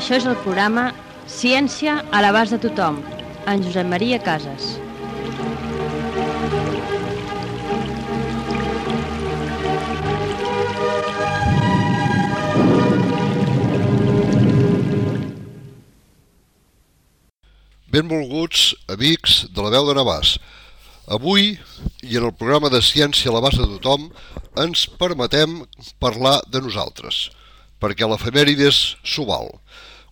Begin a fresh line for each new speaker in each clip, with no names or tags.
Això és el programa Ciència a l'abast de tothom, en Josep Maria Casas.
Benvolguts amics de la veu de Navàs. Avui, i en el programa de Ciència a l'abast de tothom, ens permetem parlar de nosaltres, perquè l'efemèrides s'ho val.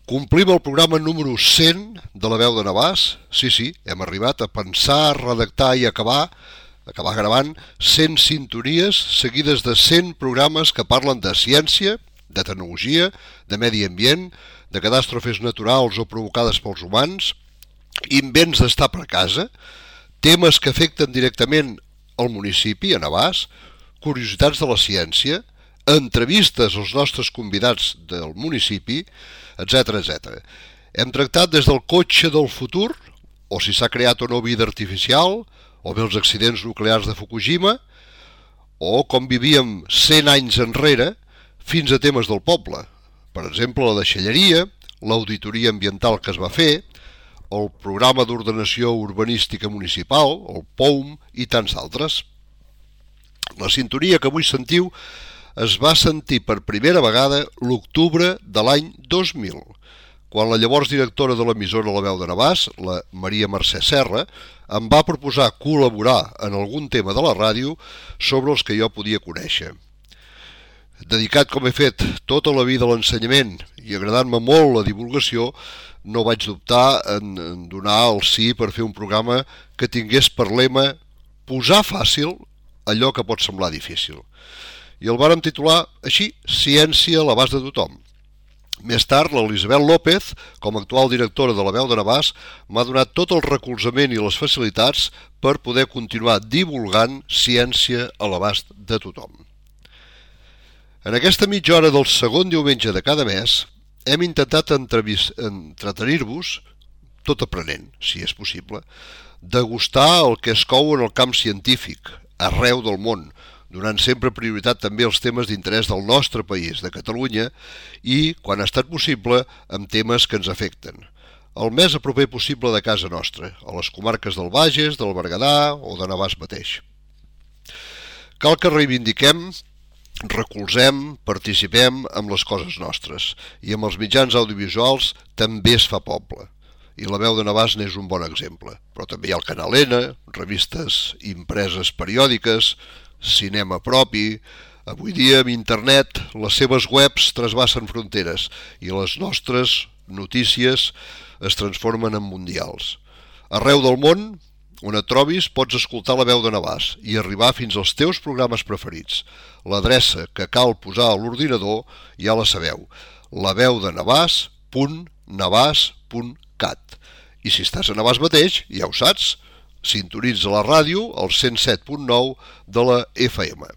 Complim el programa número 100 de la veu de Navàs. Sí, hem arribat a pensar, redactar i acabar gravant 100 sintonies seguides de 100 programes que parlen de ciència, de tecnologia, de medi ambient, de catàstrofes naturals o provocades pels humans, invents d'estar per casa, temes que afecten directament el municipi, a Navàs, curiositats de la ciència, entrevistes als nostres convidats del municipi, etc. Hem tractat des del cotxe del futur, o si s'ha creat o no vida artificial, o bé els accidents nuclears de Fukushima, o com vivíem 100 anys enrere, fins a temes del poble. Per exemple, la deixalleria, l'auditoria ambiental que es va fer, el programa d'ordenació urbanística municipal, el POUM, i tants altres. La sintonia que avui sentiu es va sentir per primera vegada l'octubre de l'any 2000, quan la llavors directora de l'emissora La Veu de Navàs, la Maria Mercè Serra, em va proposar col·laborar en algun tema de la ràdio sobre els que jo podia conèixer. Dedicat com he fet tota la vida a l'ensenyament i agradant-me molt la divulgació, no vaig dubtar en donar el sí per fer un programa que tingués per lema posar fàcil allò que pot semblar difícil. I el vàrem titular així, Ciència a l'abast de tothom. Més tard, l'Elisabet López, com a actual directora de la Veu de Navàs, m'ha donat tot el recolzament i les facilitats per poder continuar divulgant ciència a l'abast de tothom. En aquesta mitja hora del segon diumenge de cada mes, hem intentat entretenir-vos, tot aprenent, si és possible, degustar el que es cou en el camp científic, arreu del món, donant sempre prioritat també als temes d'interès del nostre país, de Catalunya, i, quan ha estat possible, amb temes que ens afecten. El més a proper possible de casa nostra, a les comarques del Bages, del Berguedà o de Navàs mateix. Cal que reivindiquem, recolzem, participem amb les coses nostres, i amb els mitjans audiovisuals també es fa poble. I la Veu de Navàs n'és un bon exemple. Però també hi ha el Canal N, revistes impreses periòdiques, cinema propi. Avui dia, amb internet, les seves webs trasbassen fronteres i les nostres notícies es transformen en mundials. Arreu del món, on et trobis, pots escoltar la Veu de Navàs i arribar fins als teus programes preferits. L'adreça que cal posar a l'ordinador ja la sabeu, laveudenavàs.navàs.cat. I si estàs a Navàs mateix, ja ho saps, sintonitza la ràdio al 107.9 de la FM.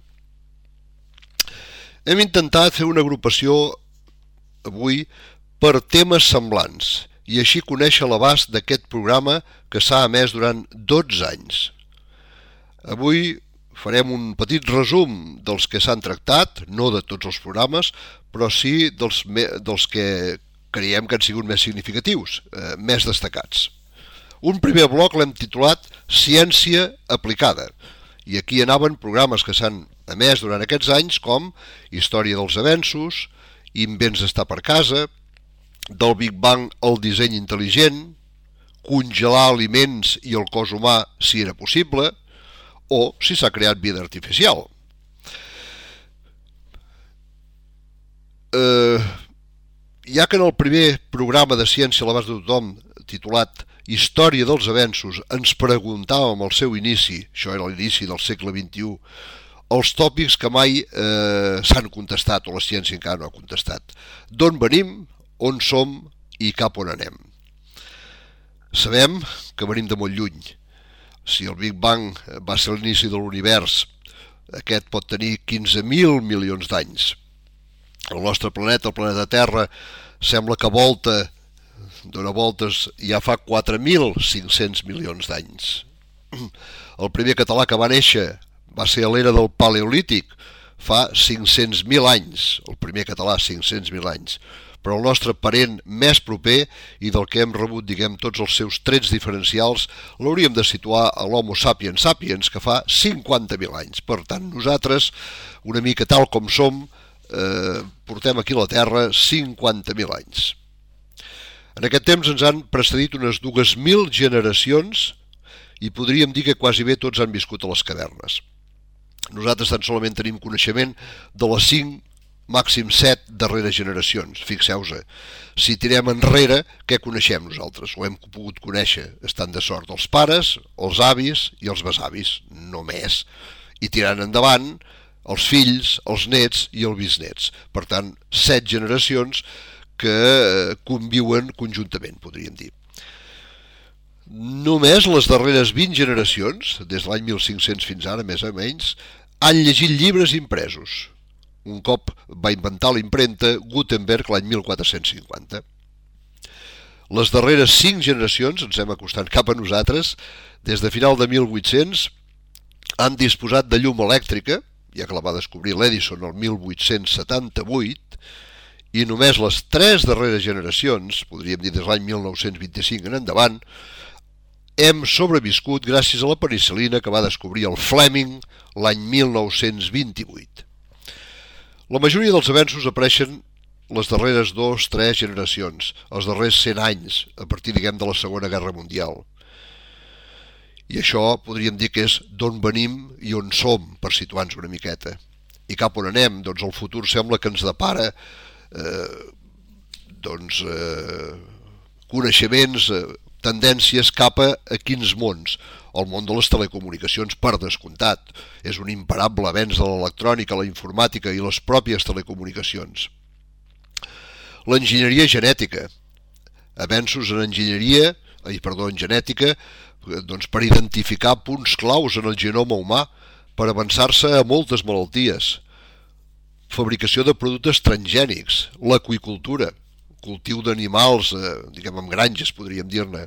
Hem intentat fer una agrupació avui per temes semblants i així conèixer l'abast d'aquest programa que s'ha emès durant 12 anys. Avui farem un petit resum dels que s'han tractat, no de tots els programes, però sí dels que creiem que han sigut més significatius, més destacats. Un primer bloc l'hem titulat Ciència aplicada, i aquí anaven programes que s'han emès durant aquests anys com Història dels avenços, Invents d'estar per casa, del Big Bang al disseny intel·ligent, congelar aliments i el cos humà si era possible, o si s'ha creat vida artificial. Ja que en el primer programa de Ciència a l'abast de tothom, titulat Història dels avenços, ens preguntàvem al seu inici, això era l'inici del segle XXI, els tòpics que mai s'han contestat, o la ciència encara no ha contestat. D'on venim, on som i cap on anem. Sabem que venim de molt lluny. Si el Big Bang va ser l'inici de l'univers, aquest pot tenir 15.000 milions d'anys. El nostre planeta, el planeta Terra, sembla que dona voltes ja fa 4.500 milions d'anys. El primer català que va néixer va ser a l'era del Paleolític, fa 500.000 anys, el primer català, 500.000 anys. però el nostre parent més proper i del que hem rebut, diguem, tots els seus trets diferencials, l'hauríem de situar a l'Homo sapiens sapiens, que fa 50.000 anys. Per tant, nosaltres, una mica tal com som, portem aquí a la Terra 50.000 anys. En aquest temps ens han precedit unes 2.000 generacions i podríem dir que quasi bé tots han viscut a les cavernes. Nosaltres tan solament tenim coneixement de les 5, màxim 7 darreres generacions. Fixeu-vos, si tirem enrere, què coneixem nosaltres? O hem pogut conèixer, estant de sort, els pares, els avis i els besavis, només. I tirant endavant, els fills, els nets i els bisnets. Per tant, 7 generacions que conviuen conjuntament, podríem dir. Només les darreres 20 generacions, des de l'any 1500 fins ara, més o menys, han llegit llibres impresos. Un cop va inventar la impremta Gutenberg l'any 1450. Les darreres 5 generacions, ens hem acostat cap a nosaltres, des de final de 1800, han disposat de llum elèctrica, ja que la va descobrir l'Edison el 1878, i només les 3 darreres generacions, podríem dir des de l'any 1925 en endavant, hem sobreviscut gràcies a la penicil·lina que va descobrir el Fleming l'any 1928. La majoria dels avenços apareixen les darreres 2-3 generacions, els darrers 100 anys, a partir, diguem, de la Segona Guerra Mundial. I això podríem dir que és d'on venim i on som, per situar-nos una miqueta. I cap on anem, doncs el futur sembla que ens depara coneixements, tendències cap a quins mons. El món de les telecomunicacions, per descomptat, és un imparable avenç de l'electrònica, la informàtica i les pròpies telecomunicacions. L'enginyeria genètica, avenços en genètica, doncs per identificar punts claus en el genoma humà, per avançar-se a moltes malalties. Fabricació de productes transgènics, l'aqüicultura, cultiu d'animals, diguem, amb granges, podríem dir-ne.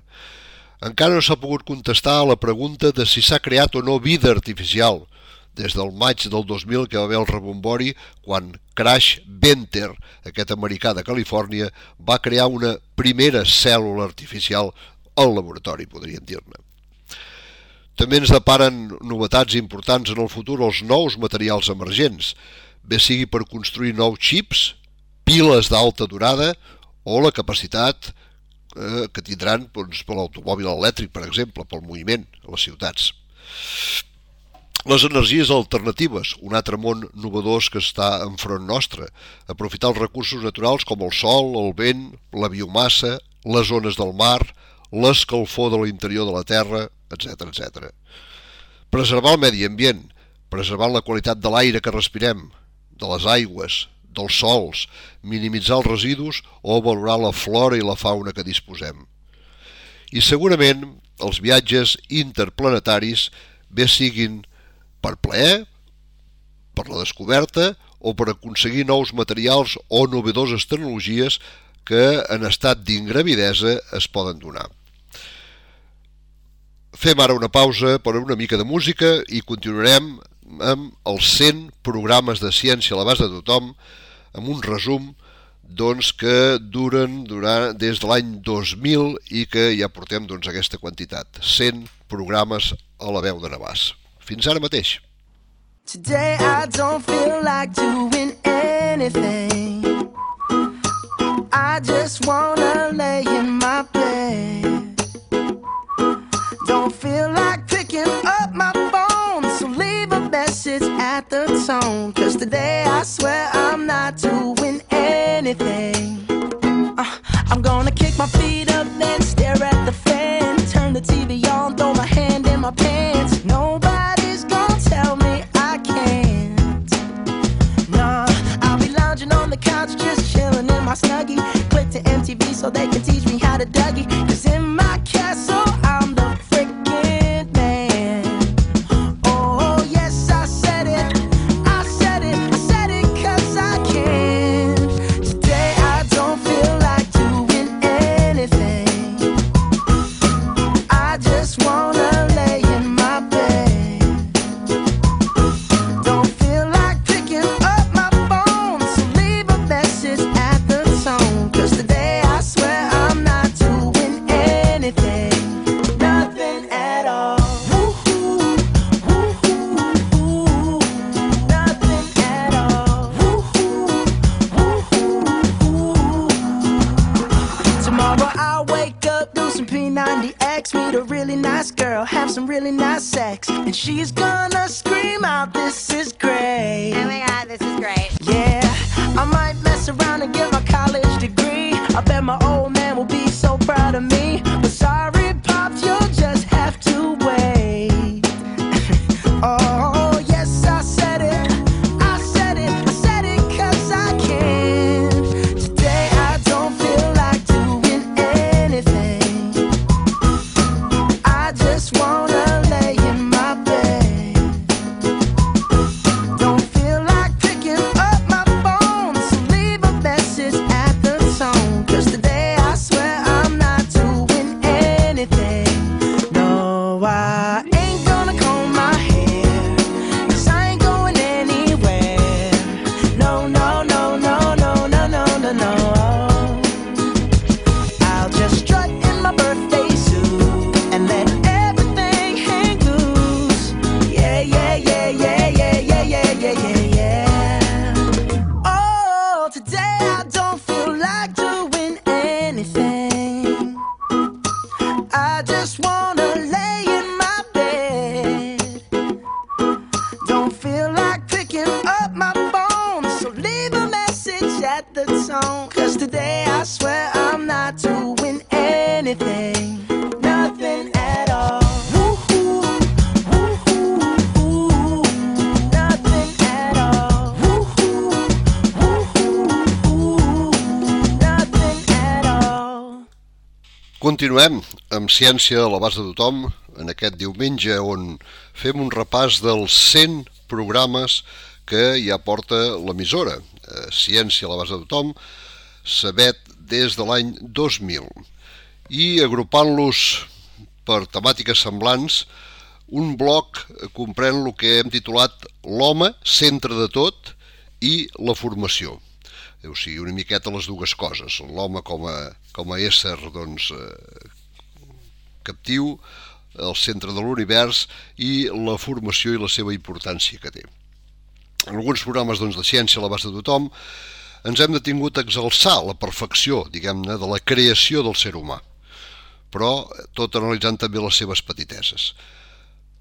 Encara no s'ha pogut contestar a la pregunta de si s'ha creat o no vida artificial, des del maig del 2000 que va haver el rebombori quan Crash Venter, aquest americà de Califòrnia, va crear una primera cèl·lula artificial al laboratori, podríem dir-ne. També ens deparen novetats importants en el futur els nous materials emergents, bé sigui per construir nous xips, piles d'alta durada o la capacitat que tindran per l'automòbil elèctric, per exemple, pel moviment a les ciutats. Les energies alternatives, un altre món novedós que està enfront nostre, aprofitar els recursos naturals com el sol, el vent, la biomassa, les ones del mar, l'escalfor de l'interior de la terra, etc. Preservar el medi ambient, preservar la qualitat de l'aire que respirem, de les aigües, dels sols, minimitzar els residus o valorar la flora i la fauna que disposem. I segurament els viatges interplanetaris bé siguin per plaer, per la descoberta o per aconseguir nous materials o novedoses tecnologies que en estat d'ingravidesa es poden donar. Fem ara una pausa per una mica de música i continuarem amb els 100 programes de ciència a l'abast de tothom, amb un resum que duren des de l'any 2000 i que ja portem aquesta quantitat, 100 programes a la veu de Navàs. Fins ara mateix.
Today I don't feel like doing anything. I just wanna lay in my bed. Don't feel like picking up my phone, so leave a message at the tone. 'Cause today I swear I'm not doing anything. I'm gonna kick my feet up, then stare at the fan. Turn the TV on, throw my hand in my pants. Nobody's gonna tell me I can't. Nah, I'll be lounging on the couch, just chilling in my Snuggie. Click to MTV so they can teach me how to Dougie. 'Cause in my castle I'm the freaking man. Oh yes, I said it, I said it, I said it 'cause I can. Today I don't feel like doing anything. I just wanna lay in my bed. Don't feel like picking up my phone, so leave a message at the tone. some really nice sex, and she's gonna scream out, "This is great."
Oh my God, this is great.
Yeah, I might mess around and get my college degree. I bet my old man will be so proud of me. But sorry, Pops, you'll just have to wait. Oh, yes, I said it. I said it. I said it 'cause I can. Today I don't feel like doing anything. I just wanna lay in my bed. Don't feel like picking up my phone, so leave a message at the tone. 'Cause today I swear I'm not doing anything. No, I ain't gonna comb my hair, 'cause I ain't going anywhere. No, no, no, no, no, no, no, no, no. I'll just strut in my birthday suit and let everything hang loose. Yeah, yeah, yeah, yeah, yeah, yeah, yeah, yeah, yeah, yeah. Oh, today I don't feel like doing anything. I just wanna lay in my bed. Don't feel like picking up my phone, so leave a message at the tone. 'Cause today I swear I'm not doing anything. Nothing at all. Woo-hoo, woo-hoo, nothing at all. Woo-hoo, woo-hoo, nothing at all.
Continuem amb Ciència a l'abast de tothom en aquest diumenge on fem un repàs dels 100 programes que ja porta l'emissora. Ciència a l'abast de tothom s'emet des de l'any 2000 i agrupant-los per temàtiques semblants, un bloc comprèn el que hem titulat l'home, centre de tot, i la formació. O sigui, una miqueta les dues coses, l'home com a ésser captiu, el centre de l'univers, i la formació i la seva importància que té. En alguns programes de ciència a l'abast de tothom ens hem detingut a exalçar la perfecció, diguem-ne, de la creació del ser humà, però tot analitzant també les seves petiteses.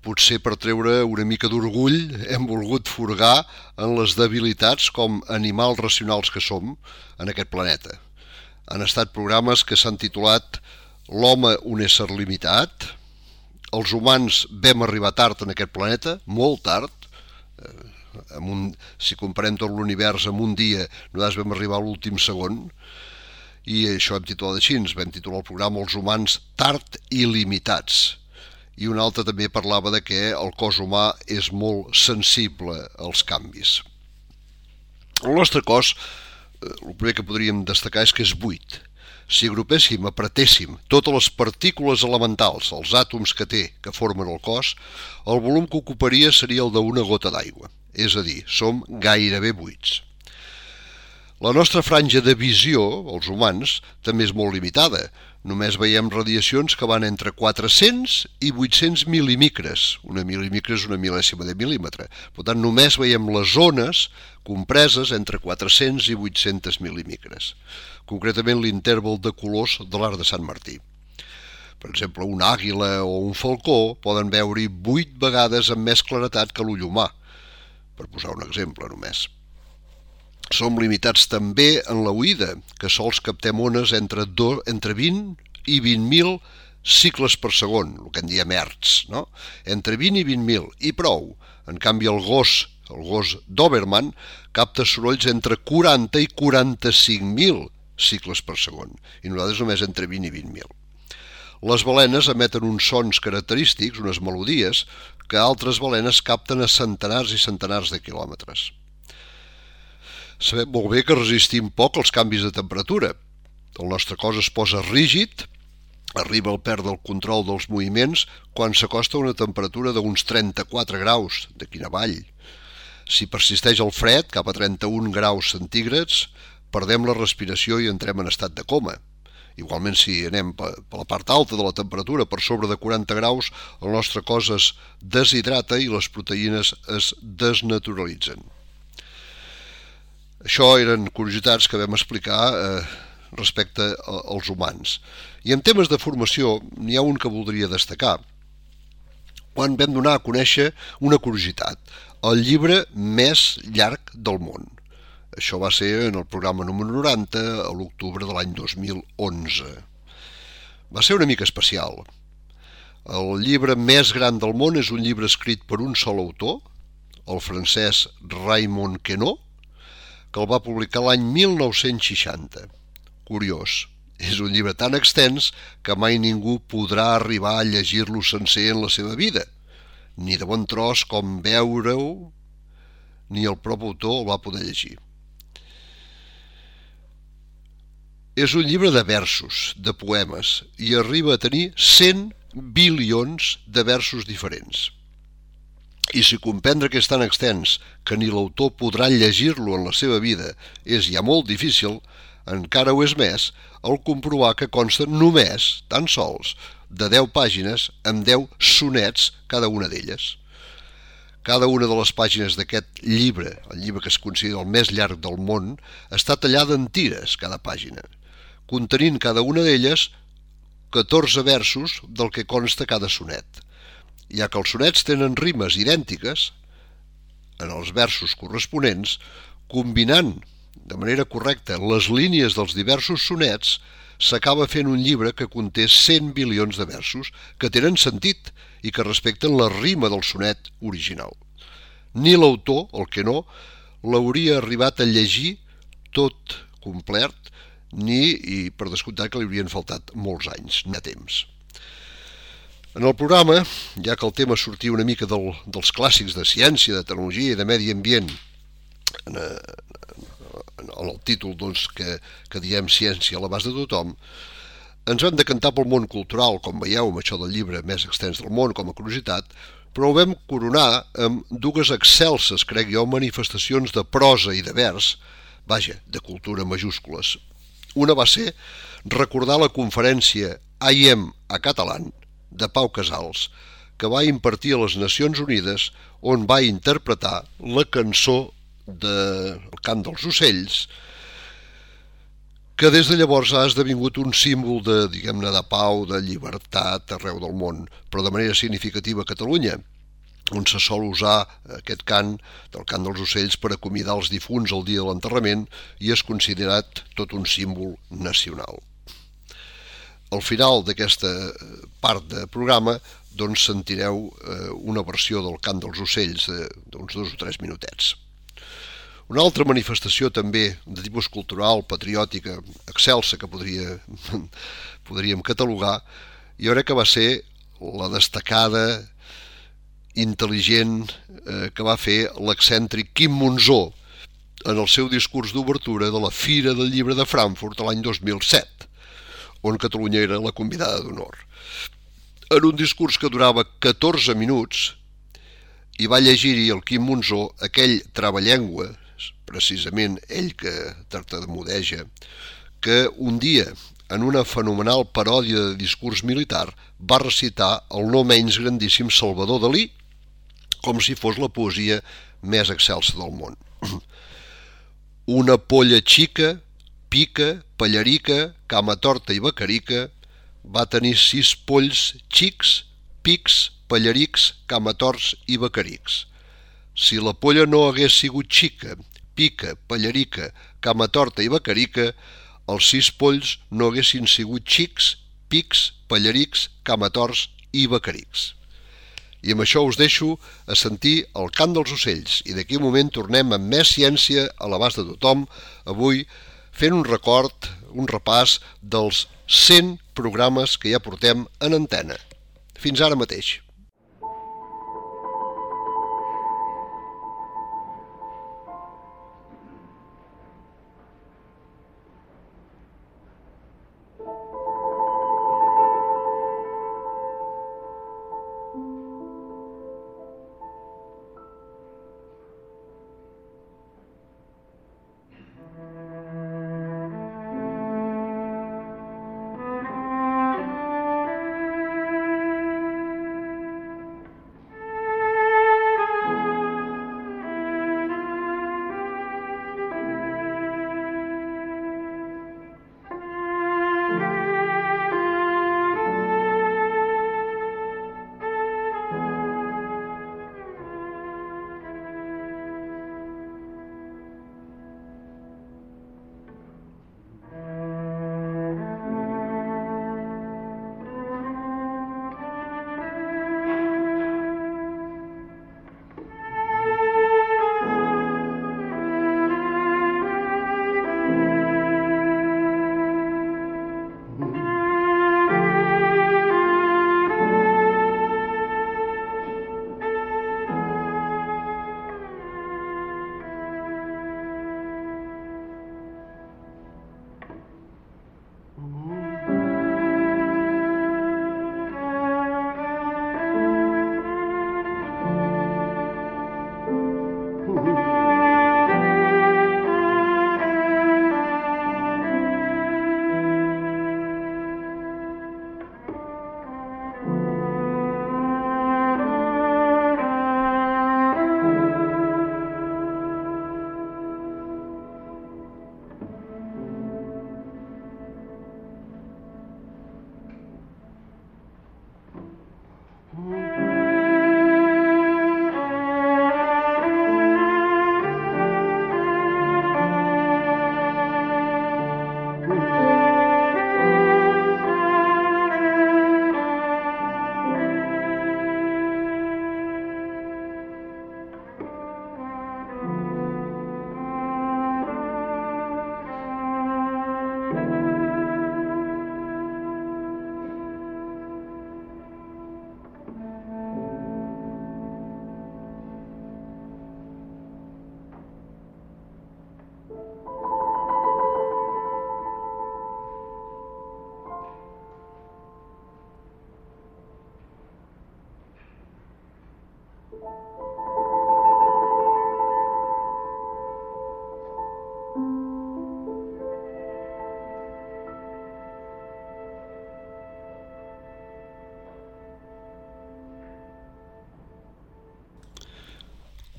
Potser per treure una mica d'orgull hem volgut furgar en les debilitats com animals racionals que som en aquest planeta. Han estat programes que s'han titulat L'home, un ésser limitat, els humans vam arribar tard en aquest planeta, molt tard, si comparem tot l'univers en un dia, nosaltres vam arribar a l'últim segon, i això hem titulat així, vam titular el programa Els humans tard i limitats. I un altre també parlava de que el cos humà és molt sensible als canvis. El nostre cos, el primer que podríem destacar és que és buit. Si agrupéssim, apretéssim totes les partícules elementals, els àtoms que té, que formen el cos, el volum que ocuparia seria el d'una gota d'aigua. És a dir, som gairebé buits. La nostra franja de visió, els humans, també és molt limitada. Només veiem radiacions que van entre 400 i 800 mil·límicres. Una mil·límicre és una mil·lèsima de mil·límetre. Per tant, només veiem les zones compreses entre 400 i 800 mil·límicres. Concretament l'interval de colors de l'arc de Sant Martí. Per exemple, una àguila o un falcó poden veure-hi 8 vegades amb més claretat que l'ull humà, per posar un exemple només. Som limitats també en l'oïda, que sols captem ones entre 20 i 20.000 cicles per segon, el que en diem hertz, no? Entre 20 i 20.000, i prou. En canvi, el gos Doberman, capta sorolls entre 40 i 45.000 cicles per segon, i nosaltres només entre 20 i 20.000. Les balenes emeten uns sons característics, unes melodies, que altres balenes capten a centenars i centenars de quilòmetres. Sabem molt bé que resistim poc als canvis de temperatura. El nostre cos es posa rígid, arriba al perdre el control dels moviments quan s'acosta a una temperatura d'uns 34 graus d'aquí en avall. Si persisteix el fred, cap a 31 graus centígrads, perdem la respiració i entrem en estat de coma. Igualment, si anem per la part alta de la temperatura, per sobre de 40 graus, el nostre cos es deshidrata i les proteïnes es desnaturalitzen. Això eren curiositats que vam explicar respecte als humans. I en temes de formació n'hi ha un que voldria destacar, quan vam donar a conèixer una curiositat, el llibre més llarg del món. Això va ser en el programa número 90, a l'octubre de l'any 2011. Va ser una mica especial. El llibre més gran del món és un llibre escrit per un sol autor, el francès Raymond Queneau, que el va publicar l'any 1960. Curiós, és un llibre tan extens que mai ningú podrà arribar a llegir-lo sencer en la seva vida. Ni de bon tros com veure-ho, ni el propi autor el va poder llegir. És un llibre de versos, de poemes, i arriba a tenir 100 bilions de versos diferents. I si comprendre que és tan extens que ni l'autor podrà llegir-lo en la seva vida és ja molt difícil, encara ho és més el comprovar que consta només, tan sols, de 10 pàgines amb 10 sonets cada una d'elles. Cada una de les pàgines d'aquest llibre, el llibre que es considera el més llarg del món, està tallada en tires, cada pàgina, contenint cada una d'elles 14 versos del que consta cada sonet. Ja que els sonets tenen rimes idèntiques en els versos corresponents, combinant de manera correcta les línies dels diversos sonets, s'acaba fent un llibre que conté 100 bilions de versos que tenen sentit i que respecten la rima del sonet original. Ni l'autor, el Queneau, l'hauria arribat a llegir tot complet, i per descomptat que li haurien faltat molts anys de temps. En el programa, ja que el tema sortia una mica dels clàssics de ciència, de tecnologia i de medi ambient, en el títol que diem ciència a l'abast de tothom, ens vam decantar pel món cultural, com veieu, amb això del llibre més extens del món, com a curiositat, però ho vam coronar amb dues excelses, crec jo, manifestacions de prosa i de vers, de cultura majúscules. Una va ser recordar la conferència AIEM a catalán de Pau Casals, que va impartir a les Nacions Unides, on va interpretar la cançó del cant dels ocells, que des de llavors ha esdevingut un símbol de pau, de llibertat arreu del món, però de manera significativa a Catalunya, on se sol usar aquest cant, del cant dels ocells, per acomiadar els difunts el dia de l'enterrament i és considerat tot un símbol nacional. Al final d'aquesta part de programa sentireu una versió del cant dels ocells d'uns 2 o 3 minutets. Una altra manifestació també de tipus cultural, patriòtica, excelsa, que podríem catalogar, jo crec que va ser la destacada, intel·ligent que va fer l'excèntric Quim Monzó en el seu discurs d'obertura de la Fira del Llibre de Frankfurt l'any 2007, on Catalunya era la convidada d'honor. En un discurs que durava 14 minuts, hi va llegir-hi el Quim Monzó aquell travallengua, precisament ell que tartamudeja, que un dia, en una fenomenal paròdia de discurs militar, va recitar el no menys grandíssim Salvador Dalí, com si fos la poesia més excelsa del món. Una polla xica, pica, pallarica, cama torta i becarica, va tenir 6 polls xics, pics, pallarics, camatorts i becarics. Si la polla no hagués sigut xica, pica, pallarica, cama torta i becarica, els 6 polls no haguessin sigut xics, pics, pallarics, camatorts i becarics. I amb això us deixo a sentir el cant dels ocells i d'aquí un moment tornem amb més ciència a l'abast de tothom, avui fent un record, un repàs dels 100 programes que ja portem en antena. Fins ara mateix.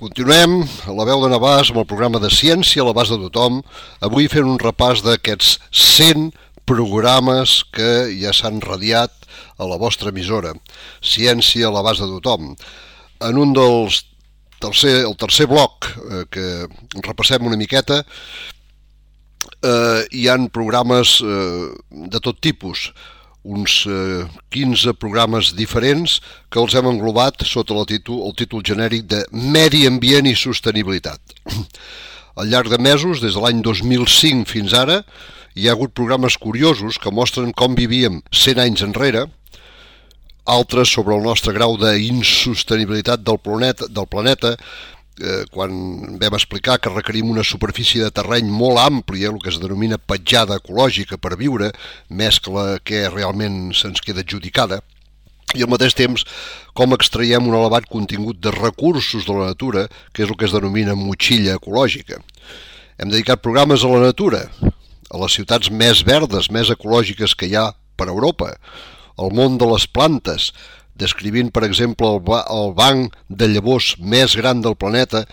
Continuem a la veu de Navàs amb el programa de Ciència a l'abast de tothom, avui fent un repàs d'aquests 100 programes que ja s'han radiat a la vostra emissora, Ciència a l'abast de tothom. En un el tercer bloc que repassem una miqueta, hi han programes de tot tipus, uns 15 programes diferents que els hem englobat sota el títol genèric de Medi Ambient i Sostenibilitat. Al llarg de mesos, des de l'any 2005 fins ara, hi ha hagut programes curiosos que mostren com vivíem 100 anys enrere, altres sobre el nostre grau d'insostenibilitat del planeta, quan vam explicar que requerim una superfície de terreny molt àmplia, el que es denomina petjada ecològica per viure, més que la que realment se'ns queda adjudicada, i al mateix temps com extraiem un elevat contingut de recursos de la natura, que és el que es denomina motxilla ecològica. Hem dedicat programes a la natura, a les ciutats més verdes, més ecològiques que hi ha per Europa, al món de les plantes, descrivint, per exemple, el banc de llavors més gran del planeta,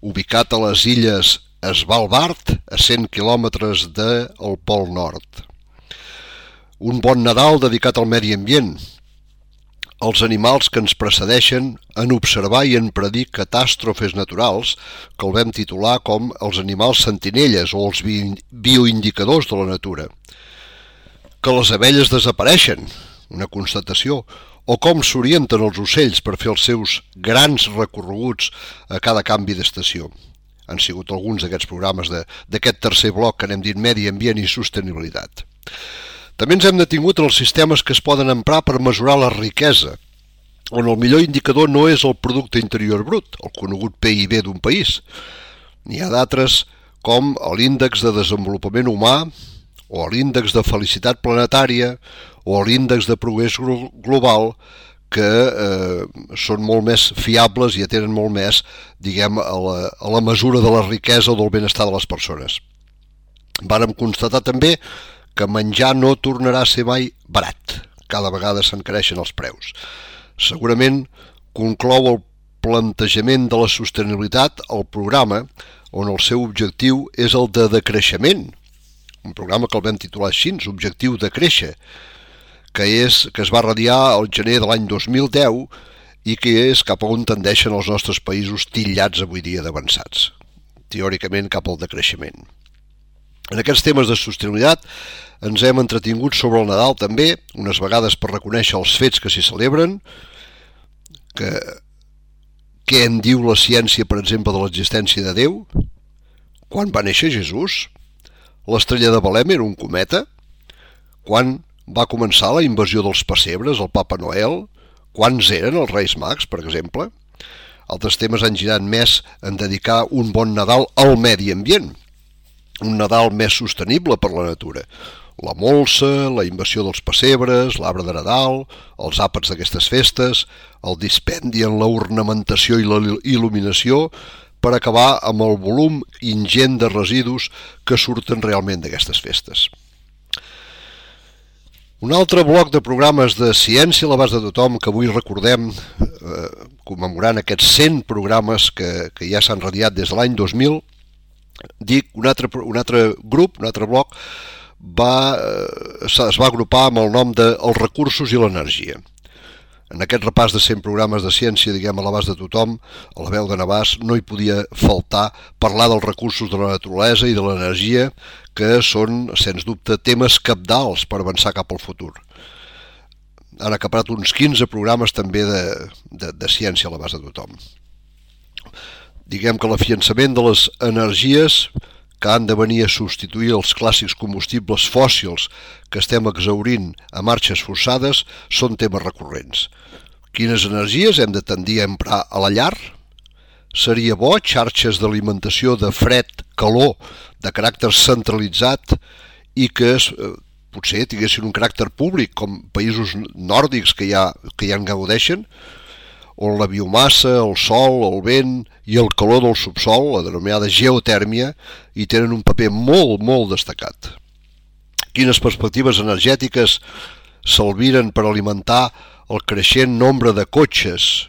ubicat a les illes Svalbard, a 100 quilòmetres del Pol Nord. Un bon Nadal dedicat al medi ambient, als animals que ens precedeixen en observar i en predir catàstrofes naturals, que el vam titular com els animals sentinelles o els bioindicadors de la natura. Que les abelles desapareixen, una constatació, o com s'orienten els ocells per fer els seus grans recorreguts a cada canvi d'estació. Han sigut alguns d'aquests programes d'aquest tercer bloc que n'hem dit Medi Ambient i Sostenibilitat. També ens hem detingut en els sistemes que es poden emprar per mesurar la riquesa, on el millor indicador no és el producte interior brut, el conegut PIB d'un país. N'hi ha d'altres com l'índex de desenvolupament humà, o l'índex de felicitat planetària, o l'índex de progrés global, que són molt més fiables i atenen molt més, diguem, a la mesura de la riquesa o del benestar de les persones. Vàrem constatar també que menjar no tornarà a ser mai barat. Cada vegada s'encareixen els preus. Segurament conclou el plantejament de la sostenibilitat el programa on el seu objectiu és el de decreixement. Un programa que el vam titular així, Objectiu de créixer, que es va radiar al gener de l'any 2010 i que és cap a on tendeixen els nostres països titllats avui dia d'avançats, teòricament cap al decreixement. En aquests temes de sostenibilitat ens hem entretingut sobre el Nadal també, unes vegades per reconèixer els fets que s'hi celebren, què en diu la ciència, per exemple, de l'existència de Déu, quan va néixer Jesús, l'estrella de Belém era un cometa, quan va començar la invasió dels pessebres, el Papa Noel, quants eren els Reis Mags, per exemple. Altres temes han girat més en dedicar un bon Nadal al medi ambient, un Nadal més sostenible per la natura. La molsa, la invasió dels pessebres, l'arbre de Nadal, els àpats d'aquestes festes, el dispendi en la ornamentació i la il·luminació, per acabar amb el volum ingent de residus que surten realment d'aquestes festes. Un altre bloc de programes de ciència a l'abast de tothom que avui recordem, commemorant aquests 100 programes que ja s'han radiat des de l'any 2000, dic, un altre grup, un altre bloc, es va agrupar amb el nom de Els recursos i l'energia. En aquest repàs de 100 programes de ciència, diguem, a l'abast de tothom, a la veu de Navàs, no hi podia faltar parlar dels recursos de la naturalesa i de l'energia, que són, sens dubte, temes cabdals per avançar cap al futur. Han acaparat uns 15 programes també de ciència a l'abast de tothom. Diguem que l'afiançament de les energies que han de venir a substituir els clàssics combustibles fòssils que estem exhaurint a marxes forçades són temes recurrents. Quines energies hem de tendir a emprar a la llar? Seria bo xarxes d'alimentació de fred-calor de caràcter centralitzat i que potser tinguessin un caràcter públic, com països nòrdics que ja en gaudeixen, on la biomassa, el sol, el vent i el calor del subsol, la denominada geotèrmia, hi tenen un paper molt, molt destacat. Quines perspectives energètiques s'albiren per alimentar el creixent nombre de cotxes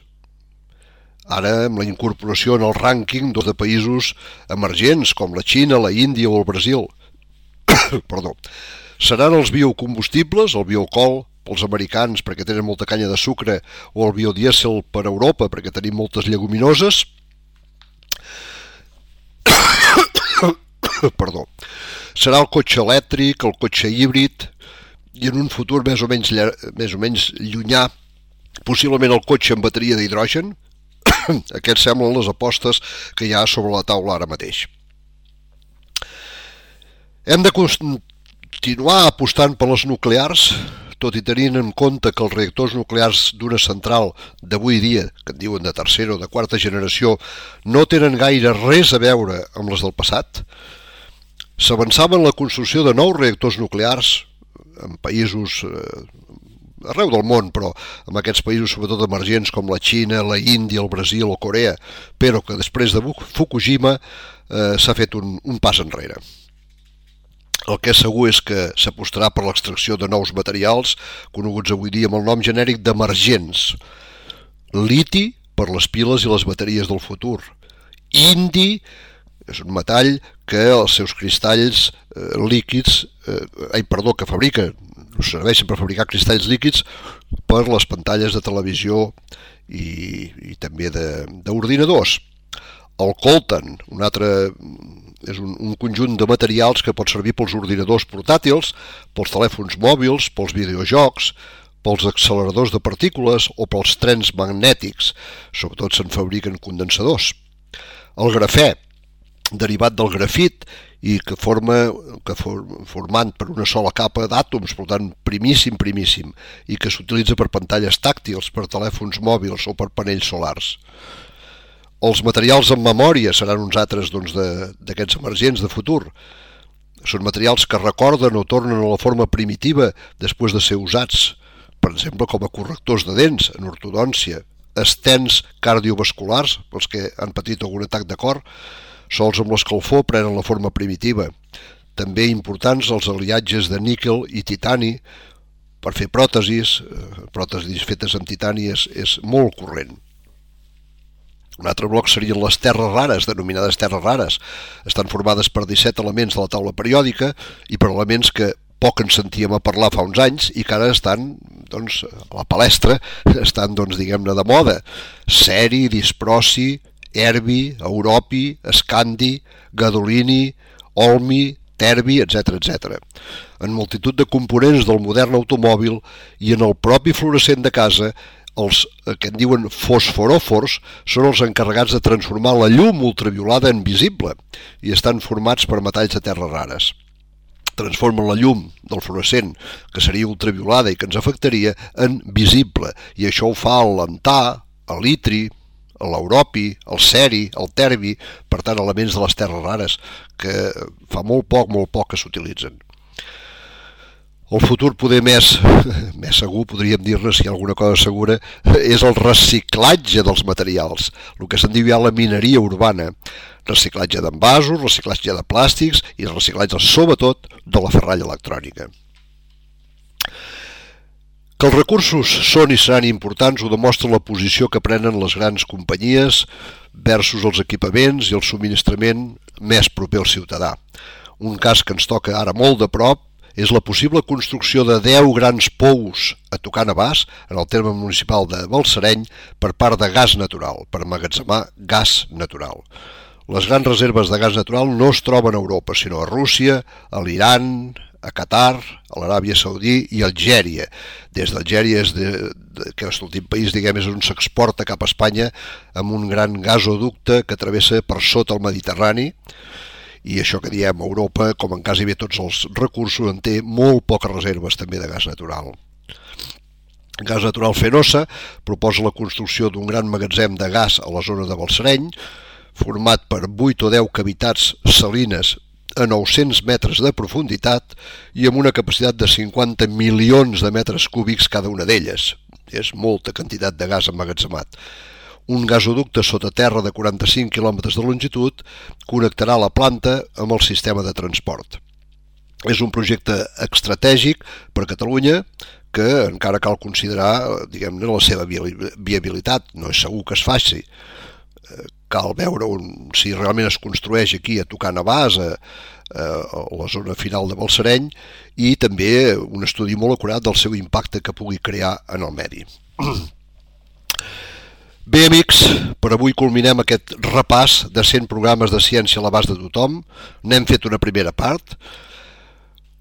ara amb la incorporació en el rànquing de països emergents com la Xina, la Índia o el Brasil. Perdó. Seran els biocombustibles, el bioalcohol pels americans perquè tenen molta canya de sucre, o el biodièsel per Europa perquè tenim moltes lleguminoses. Perdó. Serà el cotxe elèctric, el cotxe híbrid, i en un futur més o menys llunyà, possiblement el cotxe amb bateria d'hidrogen. Aquests semblen les apostes que hi ha sobre la taula ara mateix. Hem de continuar apostant per les nuclears, tot i tenint en compte que els reactors nuclears d'una central d'avui dia, que en diuen de tercera o de quarta generació, no tenen gaire res a veure amb les del passat. S'avançava en la construcció de nous reactors nuclears en països arreu del món, però en aquests països sobretot emergents com la Xina, la Índia, el Brasil o Corea, però que després de Fukushima s'ha fet un pas enrere. El que és segur és que s'apostarà per l'extracció de nous materials, coneguts avui dia amb el nom genèric d'emergents. Liti, per les piles i les bateries del futur. Indi és un metall que els seus cristalls líquids, que fabrica, serveixen per fabricar cristalls líquids per les pantalles de televisió i també d'ordinadors. El coltan, un altre, és un conjunt de materials que pot servir pels ordinadors portàtils, pels telèfons mòbils, pels videojocs, pels acceleradors de partícules o pels trens magnètics. Sobretot se'n fabriquen condensadors. El grafè, derivat del grafit i que formant per una sola capa d'àtoms, per tant primíssim, i que s'utilitza per pantalles tàctils, per telèfons mòbils o per panells solars. Els materials en memòria seran uns altres d'aquests emergents de futur. Són materials que recorden o tornen a la forma primitiva després de ser usats, per exemple com a correctors de dents en ortodòncia, estens cardiovasculars, pels que han patit algun atac de cor, sols amb l'escalfor prenen la forma primitiva. També importants els aliatges de níquel i titani per fer pròtesis fetes amb titani és molt corrent. Un altre bloc serien les terres rares, denominades terres rares. Estan formades per 17 elements de la taula periòdica i per elements que poc en sentíem a parlar fa uns anys i que ara estan a la palestra, estan diguem-ne de moda. Ceri, disprosi, erbi, europi, escandi, gadolini, olmi, terbi, etc. En multitud de components del modern automòbil i en el propi fluorescent de casa, els que en diuen fosforòfors són els encarregats de transformar la llum ultraviolada en visible i estan formats per metalls de terres rares. Transformen la llum del fluorescent, que seria ultraviolada i que ens afectaria, en visible, i això ho fa el lantà, el litri, l'europi, el ceri, el terbi, per tant elements de les terres rares que fa molt poc que s'utilitzen. El futur poder més segur, podríem dir-ne, si hi ha alguna cosa segura, és el reciclatge dels materials, el que se'n diu ja la mineria urbana, reciclatge d'envasos, reciclatge de plàstics i reciclatge, sobretot, de la ferralla electrònica. Que els recursos són i seran importants ho demostra la posició que prenen les grans companyies versus els equipaments i el subministrament més proper al ciutadà. Un cas que ens toca ara molt de prop és la possible construcció de 10 grans pous a tocar Navàs, en el terme municipal de Balsareny, per part de gas natural, per emmagatzemar gas natural. Les grans reserves de gas natural no es troben a Europa, sinó a Rússia, a l'Iran, a Qatar, a l'Aràbia Saudí i a Algèria. Des d'Algèria, que és l'últim país, és on s'exporta cap a Espanya amb un gran gasoducte que travessa per sota el Mediterrani, i això que diem Europa, com en quasi bé tots els recursos, en té molt poques reserves també de gas natural. Gas Natural Fenosa proposa la construcció d'un gran magatzem de gas a la zona de Balsareny, format per 8 o 10 cavitats salines a 900 metres de profunditat i amb una capacitat de 50 milions de metres cúbics cada una d'elles. És molta quantitat de gas emmagatzemat. Un gasoducte sota terra de 45 quilòmetres de longitud connectarà la planta amb el sistema de transport. És un projecte estratègic per a Catalunya que encara cal considerar, diguem-ne, la seva viabilitat. No és segur que es faci. Cal veure si realment es construeix aquí a tocar Navàs, a la zona final de Balsareny, i també un estudi molt acurat del seu impacte que pugui crear en el medi. Bé, amics, per avui culminem aquest repàs de 100 programes de ciència a l'abast de tothom. N'hem fet una primera part.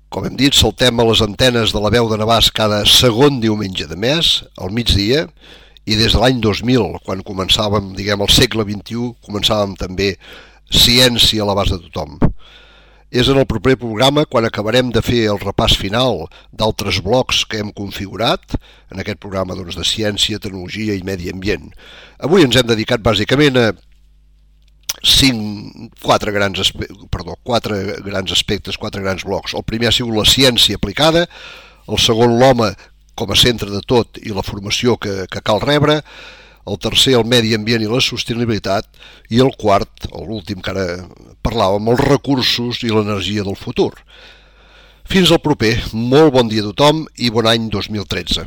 Com hem dit, saltem a les antenes de la veu de Navàs cada segon diumenge de mes, al migdia, i des de l'any 2000, quan començàvem, diguem, el segle XXI, començàvem també ciència a l'abast de tothom. És en el proper programa quan acabarem de fer el repàs final d'altres blocs que hem configurat en aquest programa de ciència, tecnologia i medi ambient. Avui ens hem dedicat bàsicament a quatre grans aspectes, quatre grans blocs. El primer ha sigut la ciència aplicada, el segon l'home com a centre de tot i la formació que cal rebre, el tercer el medi ambient i la sostenibilitat, i el quart, l'últim que ara parlàvem, els recursos i l'energia del futur. Fins al proper, molt bon dia a tothom i bon any 2013.